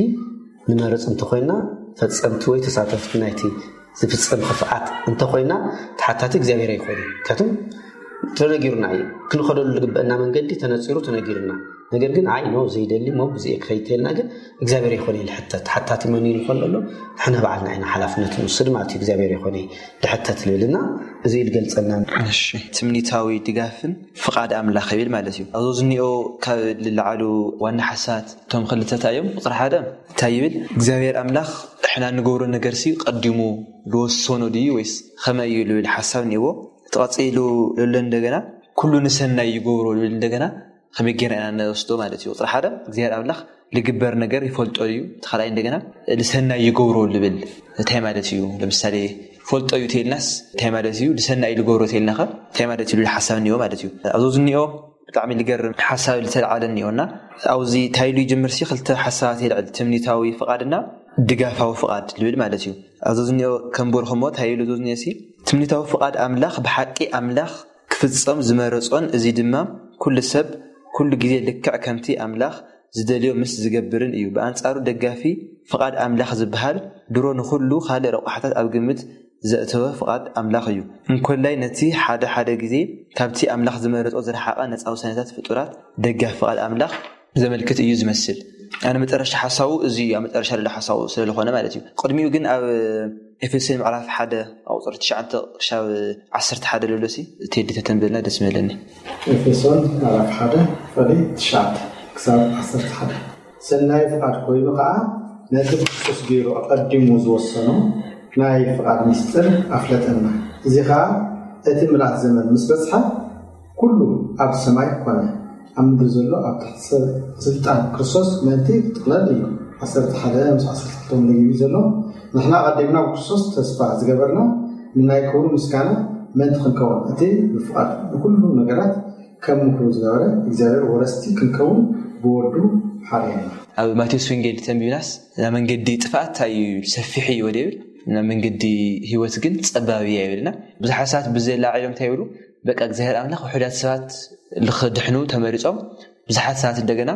ንመርጽ እንተኾይና፣ ፈጸምቲ ወይ ተሳተፍቲ ናይቲ ዝፍጸም ክፍኣት እንተኾይና፣ ተሓታቲ እግዚኣብሔር ኣይኮነ። ምክንያቱም ተነጊሩና እዩ። ክንኸደሉ ዝግበአና መንገዲ ተነጺሩ ተነጊሩና። ነገር ግን ኣይ ኖ ዘይደሊ ሞ ብዚ ክኸይድ ተልና ግን እግዚኣብሔር ኣይኮነ ልሕተት። ተሓታቲ መን እዩ ንኾን ኣሎ? ንሕና በዓልና ኢና ሓላፍነት ንወስድ ማለት እዩ። እግዚኣብሔር ኣይኮነ ልሕተት ልብልና እዚ እዩ ልገልጸልና። እሺ፣ ትምኒታዊ ድጋፍን ፍቓድ ኣምላኽ ይብል ማለት እዩ። ኣብዞ ዝኒኦ ካብ ልለዓሉ ዋና ሓሳባት እቶም ክልተታ እዮም። ቁፅሪ ሓደ እንታይ ይብል? እግዚኣብሔር ኣምላኽ ንሕና ንገብሮ ነገር ሲ ቀዲሙ ዝወሰኖ ድዩ ወይስ ከመይ እዩ ልብል ሓሳብ እኒእዎ። እቲ ቀፂሉ ልሎ እንደገና ኩሉ ንሰናይ ይገብሮ ልብል እንደገና ከመይ ጌርና ኢና ንወስዶ ማለት እዩ። ቁፅሪ ሓደ እግዚኣብሔር ኣምላኽ ልግበር ነገር ይፈልጦ እዩ። እቲ ካልኣይ እንደገና ልሰናይ ይገብሮ ልብል እንታይ ማለት እዩ? ለምሳሌ ፈልጦ እዩ ተይልናስ እንታይ ማለት እዩ? ልሰናይ ልገብሮ ተይልናኸ እንታይ ማለት እዩ? ልብል ሓሳብ እኒኦ ማለት እዩ። ኣብዞ ዝኒኦ ብጣዕሚ ልገርም ሓሳብ ልተልዓለ እኒኦና ኣብዚ ታይሉ ይጅምር ሲ ክልተ ሓሳባት የልዕል፣ ትምኒታዊ ፍቓድና ድጋፋዊ ፍቓድ ልብል ማለት እዩ። ኣብዚ ዝኒኦ ከም በልኹሞ ታይሉ እዚ ዝኒኦ ሲ ትምኒታዊ ፍቓድ ኣምላኽ ብሓቂ ኣምላኽ ክፍጸም ዝመረጾን እዚ ድማ ኩሉ ሰብ ኩሉ ግዜ ልክዕ ከምቲ ኣምላኽ ዝደልዮ ምስ ዝገብርን እዩ። ብኣንጻሩ ደጋፊ ፍቓድ ኣምላኽ ዝበሃል ድሮ ንኹሉ ካልእ ረቋሕታት ኣብ ግምት ዘእተወ ፍቓድ ኣምላኽ እዩ። እንኮላይ ነቲ ሓደ ሓደ ግዜ ካብቲ ኣምላኽ ዝመረጾ ዝረሓቐ ነጻ ውሳኔታት ፍጡራት ደጋፊ ፍቓድ ኣምላኽ ዘመልክት እዩ ዝመስል። ኣነ መጨረሻ ሓሳቡ እዚ እዩ፣ ኣብ መጨረሻ ዘሎ ሓሳቡ ስለ ዝኾነ ማለት እዩ። ቅድሚኡ ግን ኣብ ኤፌሶን ምዕራፍ ሓደ ኣብ ቁፅሪ ትሽዓተ ክሻብ ዓሰርተ ሓደ ዘሎ ሲ ቴዲ ተተንብልና ደስ ምበለኒ። ኤፌሶን ምዕራፍ ሓደ ፍቕዲ ትሽዓተ ክሳብ ዓሰርተ ሓደ። ሰናይ ፍቓድ ኮይኑ ከዓ ነቲ ብክርስቶስ ገይሩ ኣቐዲሙ ዝወሰኖ ናይ ፍቓድ ምስጢር ኣፍለጠና። እዚ ከዓ እቲ ምልኣት ዘመን ምስ በጽሐ፣ ኩሉ ኣብ ሰማይ ኮነ፣ ኣብ ምድሪ ዘሎ ኣብ ትሕቲ ሰብ ስልጣን ክርስቶስ ምእንቲ ክጥቕለል እዩ። ዓሰርተ ሓደ ምስ ዓሰርተ ክልተ እውን ለጊቡ እዩ ዘሎ። ንሕና ኣቐዲምና ብክርስቶስ ተስፋ ዝገበርና ንናይ ክብሩ ምስጋና ምእንቲ ክንከውን፣ እቲ ብፍቓድ ንኩሉ ነገራት ከም ምክሩ ዝገበረ እግዚኣብሔር ወረስቲ ክንከውን ብወዱ ሓርየና። ኣብ ማቴዎስ ወንጌል ተንቢብናስ፣ "ናብ መንገዲ ጥፍኣት እንታይ እዩ ሰፊሕ እዩ ወደ ይብል፣ ናብ መንገዲ ህይወት ግን ጸባብ እያ" ይብልና። ብዙሓት ሰባት ብዘይ ላዕሎም እንታይ ይብሉ? በቃ እግዚኣብሔር ኣምላኽ ውሑዳት ሰባት ልኽድሕኑ ተመሪጾም፣ ብዙሓት ሰባት እንደገና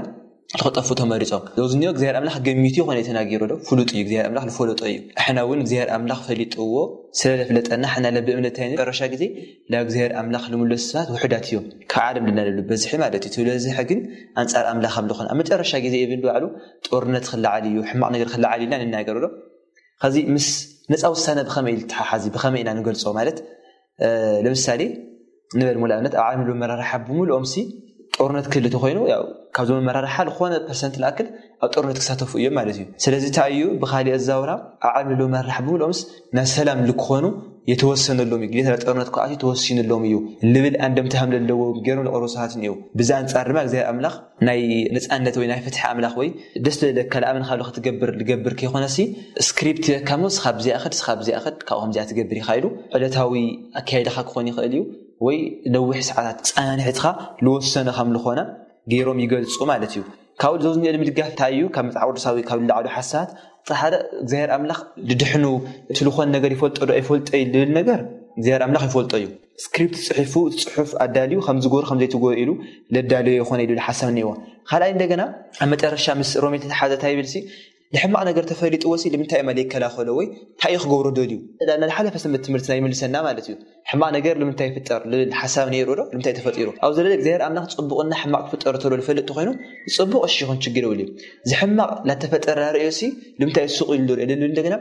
ልኽጠፉ ተመሪጾም። እዚ ዝኒኦ እግዚኣብሔር ኣምላኽ ገሚቱ ይኾነ ተናጊሩ ዶ? ፍሉጥ እዩ። እግዚኣብሔር ኣምላኽ ልፈለጦ እዩ። ኣሕና እውን እግዚኣብሔር ኣምላኽ ፈሊጥዎ ስለ ለፍለጠና፣ ሕና ለብእምነት እንታይ መጨረሻ ግዜ ናብ እግዚኣብሔር ኣምላኽ ልምለሱ ሰባት ውሑዳት እዮም። ካብ ዓለም ድና ልብሉ በዝሒ ማለት እዩ። ስለዚ ግን ኣንጻር ኣምላኽ ከም ልኾነ ኣብ መጨረሻ ግዜ ይብል ባዕሉ ጦርነት ክለዓል እዩ፣ ሕማቕ ነገር ክለዓል ኢልና ንናገር ዶ? ከዚ ምስ ነፃ ውሳነ ብኸመይ ኢሉ ተሓሓዚ? ብኸመይ ኢና ንገልጾ? ማለት፣ እ፣ ለምሳሌ ንበል፣ ንኣብነት ኣብ ዓለም መመራርሓ ብምልኦም ሲ ጦርነት ክህሉ ተኾይኑ፣ ያው ካብዞም መመራርሓ ዝኾነ ፐርሰንት ንኣክል ኣብ ጦርነት ክሳተፉ እዮም ማለት እዩ። ስለዚ እንታይ እዩ ብኻሊእ ኣዛውራ ኣብ ዓለም መመራርሓ ብምልኦምስ ናብ ሰላም ልክኾኑ የተወሰነሎም እዩ። ግዴታ ጦርነት ክኣትዩ ተወሲኑሎም እዩ ልብል ኣንደምታ ከም ዘለዎ ገይሮም ልቐርቡ ሰባት እኒአው። ብዚ ኣንጻር ድማ እግዚኣብሔር ኣምላኽ ናይ ነጻነት ወይ ናይ ፍትሒ ኣምላኽ ወይ ደስ ዝብለካ ልኣምን ካብ ክትገብር ልገብር ከይኮነሲ ስክሪፕት ይበካ እሞ ስኻ ብዚኣ ኸድ፣ ስኻ ብዚኣ ኸድ፣ ካብኡ ከምዚኣ ትገብር ኢኻ ኢሉ ዕለታዊ ኣካይዳኻ ክኾን ይኽእል እዩ ወይ ነዊሕ ሰዓታት ጸናንሕትኻ ልወሰነ ከም ልኾነ ገይሮም ይገልጹ ማለት እዩ። ካብኡ ዝወዝኒኦ ንምድጋፍ እንታይ እዩ? ካብ መጽሓፍ ቅዱሳዊ ካብ ልላዕሉ ሓሳባት ሓደ እግዚኣብሔር ኣምላኽ ድድሕኑ እቲ ልኾን ነገር ይፈልጦ ዶ ኣይፈልጦ እዩ ልብል ነገር እግዚኣብሔር ኣምላኽ ይፈልጦ እዩ። ስክሪፕት ጽሒፉ እቲ ጽሑፍ ኣዳልዩ ከም ዝጎር ከም ዘይትጎር ኢሉ ለዳልዮ ይኾነ ኢሉ ሓሳብ እኒዎ። ካልኣይ እንደገና ኣብ መጨረሻ ምስ ሮሜ ተተሓዘ እንታይ ይብል ሲ ንሕማቕ ነገር ተፈሊጥዎ ሲ ልምንታይ እማ ዘይከላኸሎ ወይ እንታይ እዩ ክገብሮ ደልዩ? ናብ ዝሓለፈ ሰንበት ትምህርቲ ናይ ይምልሰና ማለት እዩ። ሕማቕ ነገር ልምንታይ ይፍጠር ልብል ሓሳብ ነይሩ ዶ? ልምንታይ ተፈጢሩ? ኣብ ዘለለ እግዚኣብሔር ኣምላኽ ጽቡቕና ሕማቕ ክፍጠር ተሎ ልፈልጥ ተኾይኑ ጽቡቕ እሺ ይኹን ችግር የብሉ እዩ። ዝሕማቕ ላተፈጠረ ርእዮ ሲ ልምንታይ ሱቕ ኢሉ ዶ? ልብል እንደገና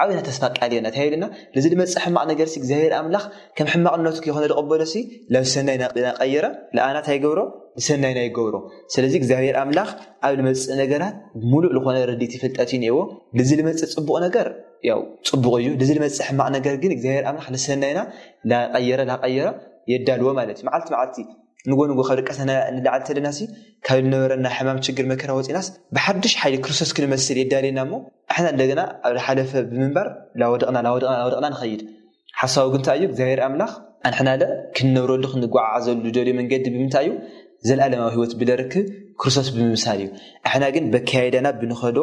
ዓብና ተስፋ ቃል እየና እንታይ ይብልና? ልዚ ልመጽእ ሕማቕ ነገር ሲ እግዚኣብሔር ኣምላኽ ከም ሕማቕነቱ ከይኾነ ልቕበሎ ሲ ላብ ሰናይ ናቀየረ ልኣና እንታይ ይገብሮ? ንሰናይና ይገብሮ። ስለዚ እግዚኣብሔር ኣምላኽ ኣብ ልመጽእ ነገራት ሙሉእ ልኾነ ረድእቲ ፍልጠት እዩ ነዎ። ልዚ ልመጽእ ጽቡቕ ነገር ያው ጽቡቕ እዩ። ልዚ ልመጽእ ሕማቕ ነገር ግን እግዚኣብሔር ኣምላኽ ንሰናይና ላቀየረ ላቀየረ የዳልዎ ማለት እዩ። መዓልቲ መዓልቲ ንጎ ንጎ ካብ ድቀሰና ንላዓል ተለና ሲ ካብ ልነበረና ሕማም ችግር መከራ ወፂናስ ብሓድሽ ሓይሊ ክርስቶስ ክንመስል የዳልየና እሞ ኣሕና እንደገና ኣብ ዝሓለፈ ብምንባር ላወደቕና ላወደቕና ላወደቕና ንኸይድ። ሓሳቡ ግን እንታይ እዩ? እግዚኣብሔር ኣምላኽ ኣንሕናለ ክንነብረሉ ክንጓዓዓዘሉ ዝደልዮ መንገዲ ብምንታይ እዩ? ዘለኣለማዊ ህይወት ብለርክብ ክርስቶስ ብምምሳል እዩ። ኣሕና ግን በካየዳና ብንኸዶ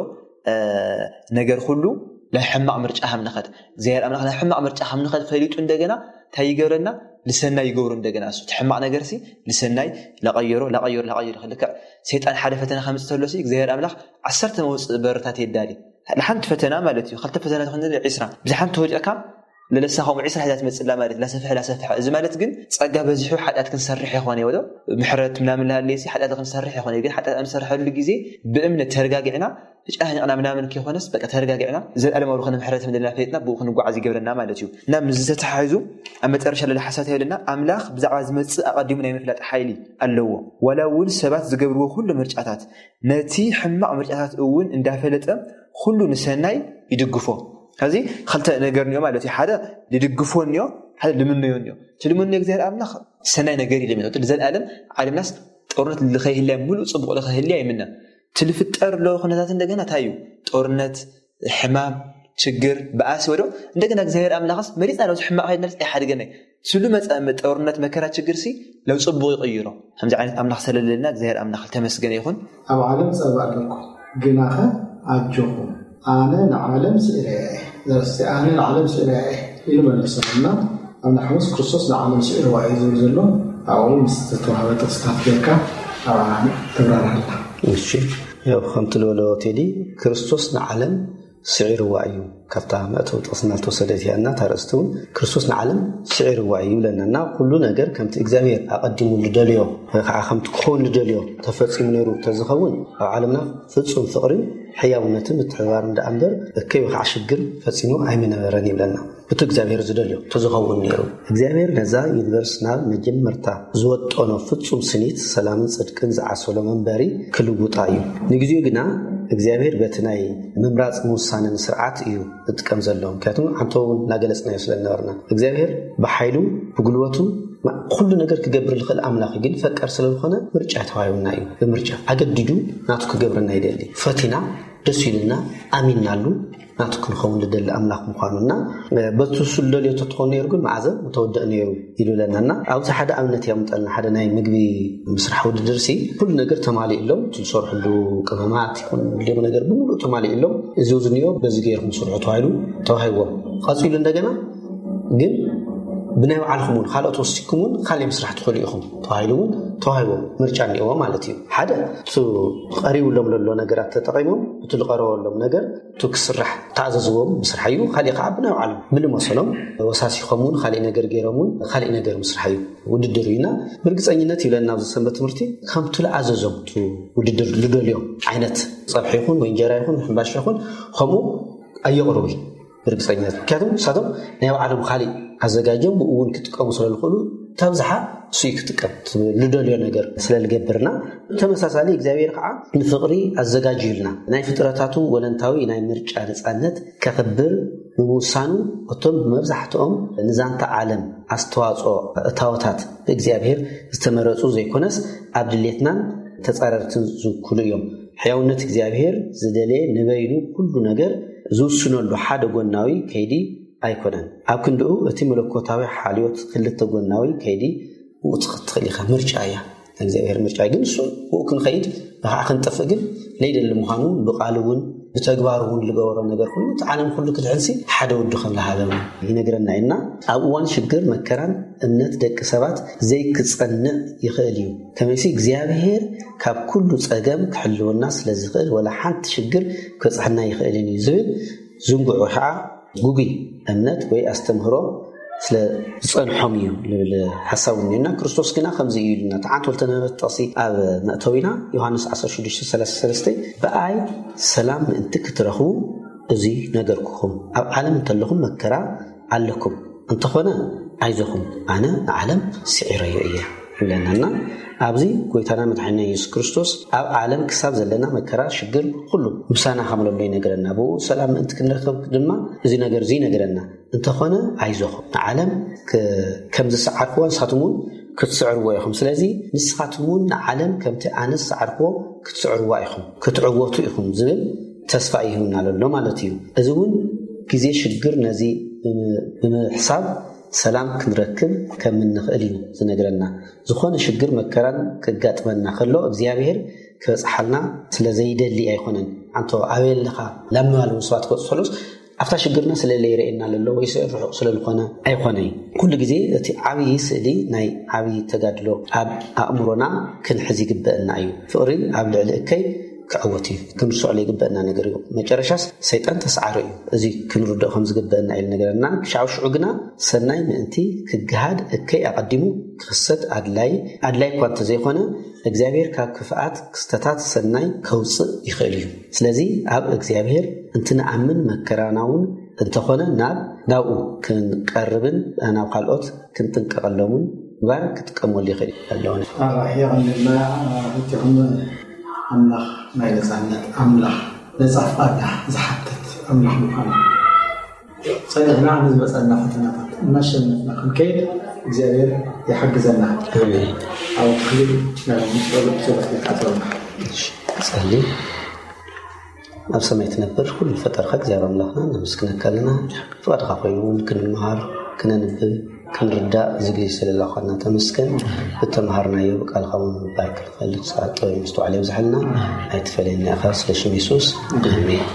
ነገር ኩሉ ናይ ሕማቕ ምርጫ ከም ንኸድ እግዚኣብሔር ኣምላኽ ናይ ሕማቕ ምርጫ ከም ንኸድ ፈሊጡ እንደገና እንታይ ይገብረና? ልሰናይ ይገብሩ እንደገና እሱ እቲ ሕማቕ ነገር ሲ ልሰናይ ላቐየሮ ላቐየሮ ላቐየሮ ልክዕ ሰይጣን ሓደ ፈተና ከምፅእ ተሎ ሲ እግዚኣብሔር ኣምላኽ ዓሰርተ መውፅእ በርታት የዳሊ። ንሓንቲ ፈተና ማለት እዩ። ክልተ ፈተና ትኾን ዒስራ ብዝሓንቲ ተወዲቕካ ለለሳ ከምኡ ዒስራ ሒዛ ትመፅላ ማለት ላሰፍሐ ላሰፍሐ። እዚ ማለት ግን ፀጋ በዚሑ ሓጢኣት ክንሰርሕ ይኾነ ይወዶ ምሕረት ምናምን ላሃለየ ሲ ሓጢኣት ክንሰርሕ ይኾነ ግን ሓጢኣት ኣብ ንሰርሐሉ ግዜ ብእምነት ተረጋጊዕና ተጨናኒቕና ምናምን ከይኮነስ በቃ ተረጋጊዕና ዘለኣለማዊ ዝኾነ ምሕረት ምድልና ፈሊጥና ብኡ ክንጓዓዝ ይገብረና ማለት እዩ። እና ምስ ዝተተሓሒዙ ኣብ መጨረሻ ለለ ሓሳብ ይብለና ኣምላኽ ብዛዕባ ዝመፅእ ኣቐዲሙ ናይ ምፍላጥ ሓይሊ ኣለዎ። ዋላ እውን ሰባት ዝገብርዎ ኩሉ ምርጫታት ነቲ ሕማቕ ምርጫታት እውን እንዳፈለጠ ኩሉ ንሰናይ ይድግፎ። ከዚ ክልተ ነገር እኒኦ ማለት እዩ። ሓደ ልድግፎ እኒኦ፣ ሓደ ልምነዮ እኒኦ። እቲ ልምነዮ እግዚኣብሔር ኣምላኽ ሰናይ ነገር እዩ ልምነዮ። እቲ ንዘለኣለም ዓለምናስ ጦርነት ልኸይህልያ ሙሉእ ጽቡቕ ልኸይህልያ ይምነ። እቲ ልፍጠር ኣሎ ኩነታት እንደገና እንታይ እዩ? ጦርነት፣ ሕማም፣ ችግር፣ ብኣሲ ወዶ እንደገና እግዚኣብሔር ኣምላኽስ መሪጽና ነዚ ሕማቕ ከይድናስ ኣይሓድገናይ። ስሉ መጸ ጦርነት፣ መከራ፣ ችግር ሲ ለው ጽቡቕ ይቕይሮ። ከምዚ ዓይነት ኣምላኽ ስለለና እግዚኣብሔር ኣምላኽ ተመስገነ ይኹን። ኣብ ዓለም ጸባ ኣለኩም፣ ግናኸ ኣጆኹም፣ ኣነ ንዓለም ስዒረያ እየ። ዘረስቲ ኣነ ንዓለም ስዒረያ እየ ኢሉ መለሰሉ እና ኣብ ናይ ሓሙስ ክርስቶስ ንዓለም ስዒርዋ እዩ ዝብል ዘሎ። ኣብኡ ምስ ዝተዋህበ ጥቕስታት ጌርካ ኣብኣ ተብራርሃላ። እሺ፣ ያው ከምቲ ዝበሎ ቴዲ፣ ክርስቶስ ንዓለም ስዒርዋ እዩ። ካብታ መእተዊ ጥቕስና ዝተወሰደት እያ እና እታ ኣርእስቲ እውን ክርስቶስ ንዓለም ስዒርዋ እዩ ይብለና እና ኩሉ ነገር ከምቲ እግዚኣብሔር ኣቐዲሙ ልደልዮ ወይ ከዓ ከምቲ ክኸውን ልደልዮ ተፈጺሙ ነይሩ ተዝኸውን ኣብ ዓለምና ፍጹም ፍቕርን ሕያውነትን ምትሕብባርን ደኣ እምበር እከይ ወይ ከዓ ሽግር ፈጺሙ ኣይምነበረን ይብለና። እቲ እግዚኣብሔር ዝደልዮ ተዝኸውን ነይሩ። እግዚኣብሔር ነዛ ዩኒቨርስ ናብ መጀመርታ ዝወጠኖ ፍጹም ስኒት ሰላምን ጽድቅን ዝዓሰሎ መንበሪ ክልውጣ እዩ። ንግዜኡ ግና እግዚኣብሔር በቲ ናይ ምምራፅ ምውሳንን ስርዓት እዩ ዝጥቀም ዘሎ። ምክንያቱም ዓንቶ እውን እናገለፅናዮ ስለነበርና እግዚኣብሔር ብሓይሉ ብጉልበቱ ኩሉ ነገር ክገብር ዝኽእል ኣምላኽ እዩ። ግን ፈቃር ስለዝኾነ ምርጫ ተዋሂቡና እዩ። ብምርጫ ኣገዲዱ ናቱ ክገብረና ይደሊ። ፈቲና ደስ ኢሉና ኣሚንናሉ ናቱ ክንኸውን ዝደሊ ኣምላኽ ምዃኑና በቱ ስልደልዮ ተትኾን ነይሩ ግን መዓዘ ምተወደእ ነይሩ ይብለናና። ኣብዚ ሓደ ኣብነት ያምጠልና ሓደ ናይ ምግቢ ምስራሕ ውድድር ሲ ኩሉ ነገር ተማሊእሎም ትዝሰርሕሉ ቅመማት ይኹን ሌሙ ነገር ብምሉእ ተማሊእሎም እዚ ዝንዮ በዚ ገይርኩም ስርሑ ተባሂሉ ተዋሂዎም። ቀፂሉ እንደገና ግን ብናይ ባዕልኩም እውን ካልኦት ወሲኩም እውን ካልእ ምስራሕ ትኽእሉ ኢኹም ተባሂሉ እውን ተዋሂዎም። ምርጫ እኒእዎ ማለት እዩ። ሓደ እቲ ቀሪብሎም ዘሎ ነገራት ተጠቂሞም እቲ ዝቀረበሎም ነገር እቲ ክስራሕ ተኣዘዝዎም ምስራሕ እዩ። ካሊእ ከዓ ብናይ ባዕሎም ብልመሰሎም ወሳሲኾም እውን ካሊእ ነገር ገይሮም እውን ካሊእ ነገር ምስራሕ እዩ። ውድድር እዩና ብርግፀኝነት ይብለና ኣብዚ ሰንበት ትምህርቲ ከምቲ ዝኣዘዞም እቲ ውድድር ዝደልዮም ዓይነት ፀብሒ ይኹን ወይ እንጀራ ይኹን ሕምባሻ ይኹን ከምኡ ኣየቕርቡ እዩ። ብርግፀኝነት ምክንያቱም ንሳቶም ናይ ባዕሎም ካሊእ ኣዘጋጅዮም ብኡ እውን ክጥቀሙ ስለዝኽእሉ ተብዝሓ እሱ እዩ ክጥቀም ዝደልዮ ነገር ስለዝገብርና። ተመሳሳሊ እግዚኣብሔር ከዓ ንፍቕሪ ኣዘጋጅዩልና ናይ ፍጥረታቱ ወለንታዊ ናይ ምርጫ ነፃነት ከኽብር ብምውሳኑ እቶም ብመብዛሕትኦም ንዛንታ ዓለም ኣስተዋፅኦ እታወታት ብእግዚኣብሔር ዝተመረፁ ዘይኮነስ ኣብ ድሌትናን ተፃረርትን ዝውክሉ እዮም። ሕያውነት እግዚኣብሔር ዝደለየ ንበይኑ ኩሉ ነገር ዝውስነሉ ሓደ ጎናዊ ከይዲ ኣይኮነን። ኣብ ክንድኡ እቲ መለኮታዊ ሓልዮት ክልተ ጎናዊ ከይዲ ምእቲ ክትኽእል ኢኻ። ምርጫ እያ እግዚኣብሔር ምርጫ እዩ። ግን እሱ ብኡ ክንኸይድ ብኸዓ ክንጠፍእ ግን ለይደሊ ምዃኑ ብቃል እውን ብተግባር እውን ዝገበሮ ነገር ኩሉ እቲ ዓለም ኩሉ ክድሕንሲ ሓደ ወዱ ከም ዝሃበ ይነግረና እዩና። ኣብ እዋን ሽግር መከራን እምነት ደቂ ሰባት ዘይክጸንዕ ይኽእል እዩ። ከመይሲ እግዚኣብሔር ካብ ኩሉ ጸገም ክሕልወና ስለ ዝኽእል ወላ ሓንቲ ሽግር ክበጽሐና ይኽእልን እዩ ዝብል ዝንጉዑ ከዓ ጉጉይ እምነት ወይ ኣስተምህሮ ስለ ዝጸንሖም እዩ ዝብል ሓሳብ እኒና። ክርስቶስ ግና ከምዚ እዩ ኢሉና። ተዓንት ወልተነበረት ጥቕሲ ኣብ መእተዊና ዮሃንስ ዓሰርተ ሽዱሽተ ሰላሳ ሰለስተ ብኣይ ሰላም ምእንቲ ክትረኽቡ እዚ ነገርኩኹም። ኣብ ዓለም እንተለኹም መከራ ኣለኩም፣ እንተኾነ ኣይዞኹም፣ ኣነ ንዓለም ስዒረዮ እየ ይብለናና። ኣብዚ ጎይታና መድሓኒና የሱስ ክርስቶስ ኣብ ዓለም ክሳብ ዘለና መከራ ሽግር ኩሉ ምሳና ከም ዘሎ ይነግረና። ብኡ ሰላም ምእንቲ ክንረክብ ድማ እዚ ነገር እዚ ይነግረና። እንተኾነ ኣይዞኹም፣ ንዓለም ከም ዝሰዓርክዎ ንሳትም እውን ክትስዕርዎ ኢኹም። ስለዚ ንስኻትም እውን ንዓለም ከምቲ ኣነ ዝሰዓርክዎ ክትስዕርዋ ኢኹም፣ ክትዕወቱ ኢኹም ዝብል ተስፋ ይህብና ዘሎ ማለት እዩ። እዚ እውን ግዜ ሽግር ነዚ ብምሕሳብ ሰላም ክንረክብ ከም እንኽእል እዩ ዝነግረና። ዝኾነ ሽግር መከራን ክጋጥመና ከሎ እግዚኣብሔር ክበፅሓልና ስለ ዘይደሊ ኣይኮነን። ኣንቶ ኣበይ ኣለኻ ላምባሉ ሰባት ክበፅሑ ከሎስ ኣብታ ሽግርና ስለ ለይረኤና ለሎ ወይ ስዕሪ ርሑቕ ስለ ዝኾነ ኣይኮነይ። ኩሉ ግዜ እቲ ዓብዪ ስእሊ ናይ ዓብዪ ተጋድሎ ኣብ ኣእምሮና ክንሕዝ ይግበአና እዩ። ፍቕሪ ኣብ ልዕሊ እከይ ክዕወት እዩ። ክንርስዖ ዘይግበአና ነገር እዩ። መጨረሻስ ሰይጣን ተስዓሮ እዩ። እዚ ክንርድኦ ከም ዝግበአና እዩ ነገረና። ክሻው ሽዑ ግና ሰናይ ምእንቲ ክግሃድ እከይ ኣቐዲሙ ክኽሰት ኣድላይ ኣድላይ እኳ እንተዘይኮነ እግዚኣብሔር ካብ ክፍኣት ክስተታት ሰናይ ከውፅእ ይኽእል እዩ። ስለዚ ኣብ እግዚኣብሔር እንትንኣምን መከራና እውን እንተኾነ ናብ ናብኡ ክንቀርብን ናብ ካልኦት ክንጥንቀቐሎምን ምግባር ክጥቀመሉ ይኽእል ኣለዎ። ኣራሒ የቐንልና። እቲኹም ኣምላኽ ናይ ነፃነት ኣምላኽ ነፃ ፍቓድና ዝሓትት ኣምላኽ ምዃኑ ጸኒዕና ንዝመጸና ፈተናታት እናሸነፍና ክንከይድ እግዚኣብሔር ይሓግዘና። ኣሜን። ኣብ ክፍሊ ናይ ጸሎት ጸሎት ይካተሉና። ጸሊ ኣብ ሰማይ ትነብር ኩሉ ፈጠርካ እግዚኣብሔር ኣምላኽና ነመስግነካ ኣለና። ፍቓድካ ኮይኑ እውን ክንመሃር ክነንብብ ክንርዳእ ዝግጅ ስለላኳና ተመስገን። ብተምሃርናዮ ብቃልካ እውን ምባር ክንፈልግ ሰዓት ጥበብ ምስትውዓል የብዝሓልና። ኣይትፈለየና ኢኻ ስለ ሽም የሱስ ኣሜን።